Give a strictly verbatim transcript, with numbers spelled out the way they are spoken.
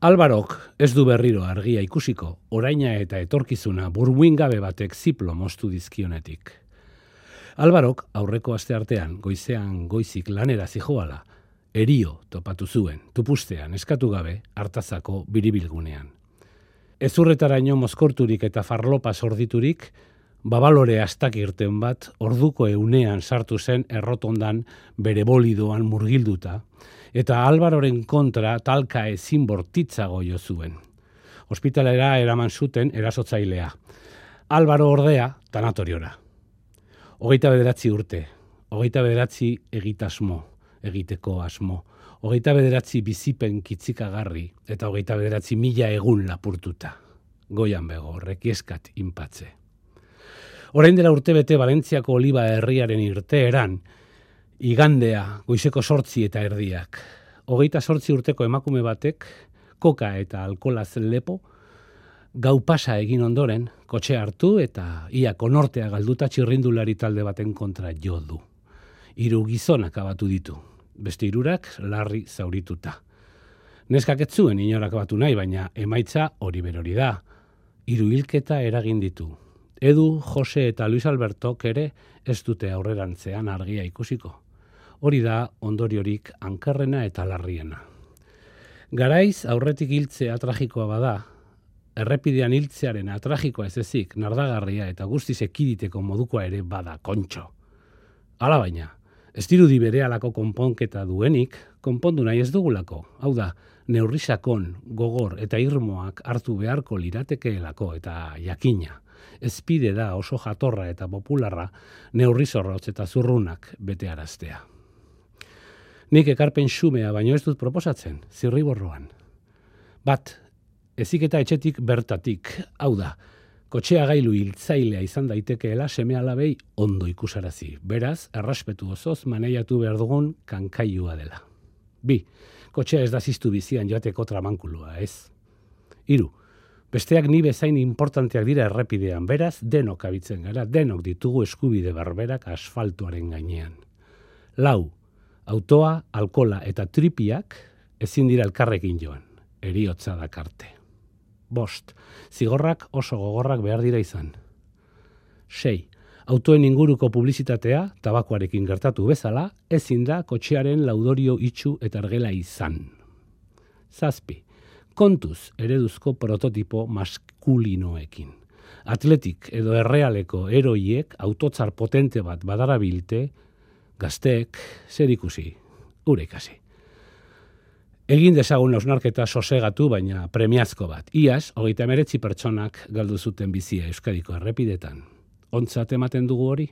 Alvarok ez du berriro argia ikusiko, oraina eta etorkizuna burmuingabe batek ziplo moztu dizkionetik. Alvarok aurreko asteartean goizean goizik lanera zijoala, erio topatu zuen, tupustean eskatu gabe Artazako biribilgunean. Ezurretaraino mozkorturik eta farlopa sorditurik, babalore astak irten bat orduko eunean sartu zen errotondan bere bolidoan murgilduta, eta Alvaroren kontra talka ezin bortitzago jo zuen. Ospitalera eraman zuten erasotzailea. Alvaro ordea tanatoriora. Hogeita bederatzi urte, hogeita bederatzi egitasmo, egiteko asmo, hogeita bederatzi bizipen kitzikagarri eta hogeita bederatzi mila egun lapurtuta. Goian bego, rekieskat inpatze. Orain dela urtebete Valentziako Oliba herriaren irteeran, igandea goizeko sortzi eta erdiak. Hogeita sortzi urteko emakume batek, koka eta alkolaz lepo, gau pasa egin ondoren, kotxe hartu eta ia konortea galduta txirrindulari talde baten kontra jo du. Hiru gizonak abatu ditu, beste hirurak larri zaurituta. Neskak ez zuen inorak batu nahi, baina emaitza hori berori da. Hiru hilketa eragin ditu. Edu, Jose eta Luis Albertok ere ez dute aurrerantzean argia ikusiko. Hori da ondoriorik ankerrena eta larriena. Garaiz aurretik hiltzea tragikoa bada, errepidean hiltzearen tragikoa ez ezik, nardagarria eta guztiz ekiditeko modukoa ere bada kontxo. Hala baina, ez dirudi berehalako konponketa duenik, konpondu nahi ez dugulako. Hau da, neurrisakon, gogor eta irmoak hartu beharko liratekeelako eta jakina. Ezpide da oso jatorra eta popularra neurrizorrotz eta zurrunak betearaztea. Nik ekarpen xumea baino ez dut proposatzen, zirriborroan. Bat, eziketa etxetik bertatik, hau da, kotxea gailu hiltzailea izan daitekeela seme-alabei ondo ikusarazi. Beraz, errespetu osoz maneiatu behar dugun kankailua dela. Bi, kotxea ez da ziztu bizian joateko tramankulua, ez? Hiru, besteak ni bezain importanteak dira errepidean, beraz, denok abitzen gara, denok ditugu eskubide berberak asfaltuaren gainean. Lau, autoa, alkola eta tripiak ezin dira elkarrekin joan, heriotza dakarte. Bost, zigorrak oso gogorrak behar dira izan. Sei, autoen inguruko publizitatea, tabakoarekin gertatu bezala, ezin da kotxearen laudorio itxu eta argela izan. Zazpi, kontuz ereduzko prototipo maskulinoekin. Atletik edo errealeko eroiek autotzar potente bat badarabilte, gazteek zer ikusi, gure ikasi. Egin dezagun hausnarketa sosegatu baina premiazko bat. Iaz, hogeita hemeretzi pertsonak galdu zuten bizia Euskadiko errepidetan. Ontzat ematen dugu hori?